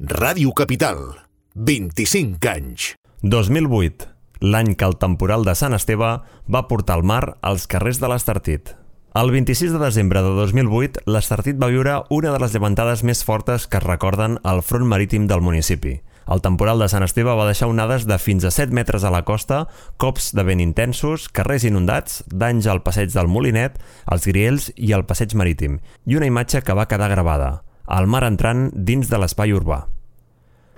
Ràdio Capital, 25 anys. 2008, l'any que el temporal de Sant Esteve va portar el mar als carrers de l'Estartit. El 26 de desembre de 2008, l'Estartit va viure una de les llevantades més fortes que es recorden al front marítim del municipi. El temporal de Sant Esteve va deixar onades de fins a 7 metres a la costa, cops de vent intensos, carrers inundats, danys al passeig del Molinet, als Griells i al passeig marítim, i una imatge que va quedar gravada, el mar entrant dins de l'espai urbà.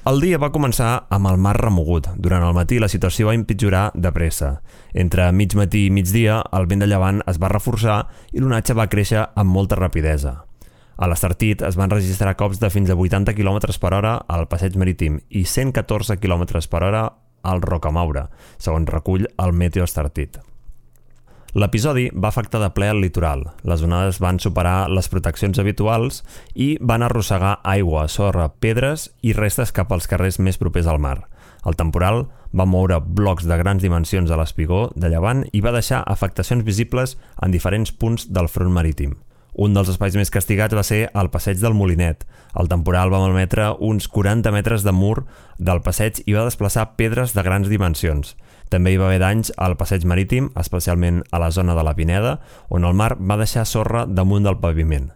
El dia va començar amb el mar remogut. Durant el matí la situació va empitjorar de pressa. Entre mig matí i migdia, el vent de llevant es va reforçar i l'onatge va créixer amb molta rapidesa. A l'Estartit es van registrar cops de fins a 80 km per hora al passeig marítim i 114 km per hora al Rocamaura, segons recull el Meteo Estartit. L'episodi va afectar de ple el litoral. Les onades van superar les proteccions habituals i van arrossegar aigua, sorra, pedres i restes cap als carrers més propers al mar. El temporal va moure blocs de grans dimensions a l'espigó de llevant i va deixar afectacions visibles en diferents punts del front marítim. Un dels espais més castigats va ser el passeig del Molinet. El temporal va malmetre uns 40 metres de mur del passeig i va desplaçar pedres de grans dimensions. També hi va haver danys al passeig marítim, especialment a la zona de la Pineda, on el mar va deixar sorra damunt del paviment.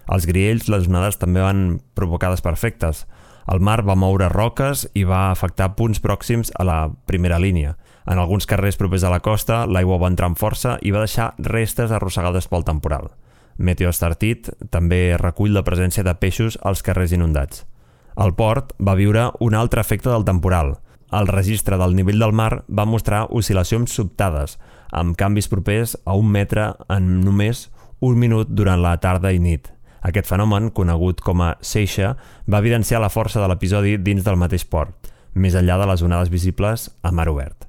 Als Griells, les onades també van provocar desperfectes. El mar va moure roques i va afectar punts pròxims a la primera línia. En alguns carrers propers a la costa, l'aigua va entrar amb força i va deixar restes arrossegades pel temporal. Meteo Estartit també recull la presència de peixos als carrers inundats. El port va viure un altre efecte del temporal. El registre del nivell del mar va mostrar oscil·lacions sobtades, amb canvis propers a 1 metre en només 1 minut durant la tarda i nit. Aquest fenomen, conegut com a seixa, va evidenciar la força de l'episodi dins del mateix port, més enllà de les onades visibles a mar obert.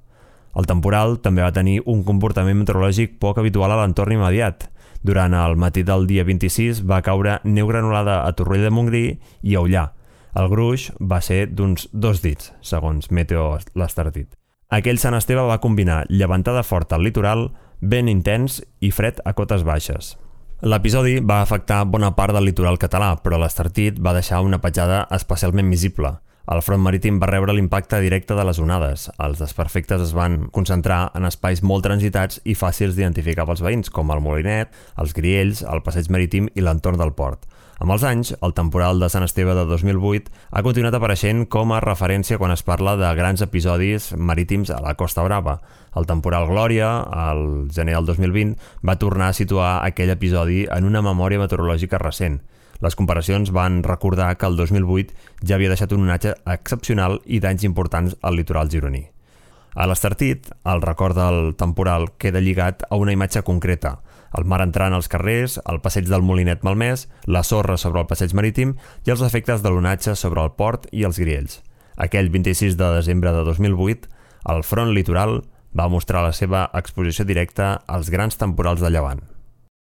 El temporal també va tenir un comportament meteorològic poc habitual a l'entorn immediat. Durant el matí del dia 26 va caure neu granulada a Torroella de Montgrí i a Ullà. El gruix va ser d'uns 2 dits, segons Meteo l'Estartit. Aquell Sant Esteve va combinar llevantada forta al litoral, vent intens i fred a cotes baixes. L'episodi va afectar bona part del litoral català, però l'Estartit va deixar una petjada especialment visible. El front marítim va rebre l'impacte directe de les onades. Els desperfectes es van concentrar en espais molt transitats i fàcils d'identificar pels veïns, com el Molinet, els Griells, el passeig marítim i l'entorn del port. Amb els anys, el temporal de Sant Esteve de 2008 ha continuat apareixent com a referència quan es parla de grans episodis marítims a la Costa Brava. El temporal Glòria, al gener del 2020, va tornar a situar aquell episodi en una memòria meteorològica recent. Les comparacions van recordar que el 2008 ja havia deixat un onatge excepcional i danys importants al litoral gironí. A l'Estartit, el record del temporal queda lligat a una imatge concreta: el mar entrant als carrers, el passeig del Molinet malmès, la sorra sobre el passeig marítim i els efectes de l'onatge sobre el port i els Griells. Aquell 26 de desembre de 2008, el front litoral va mostrar la seva exposició directa als grans temporals de llevant.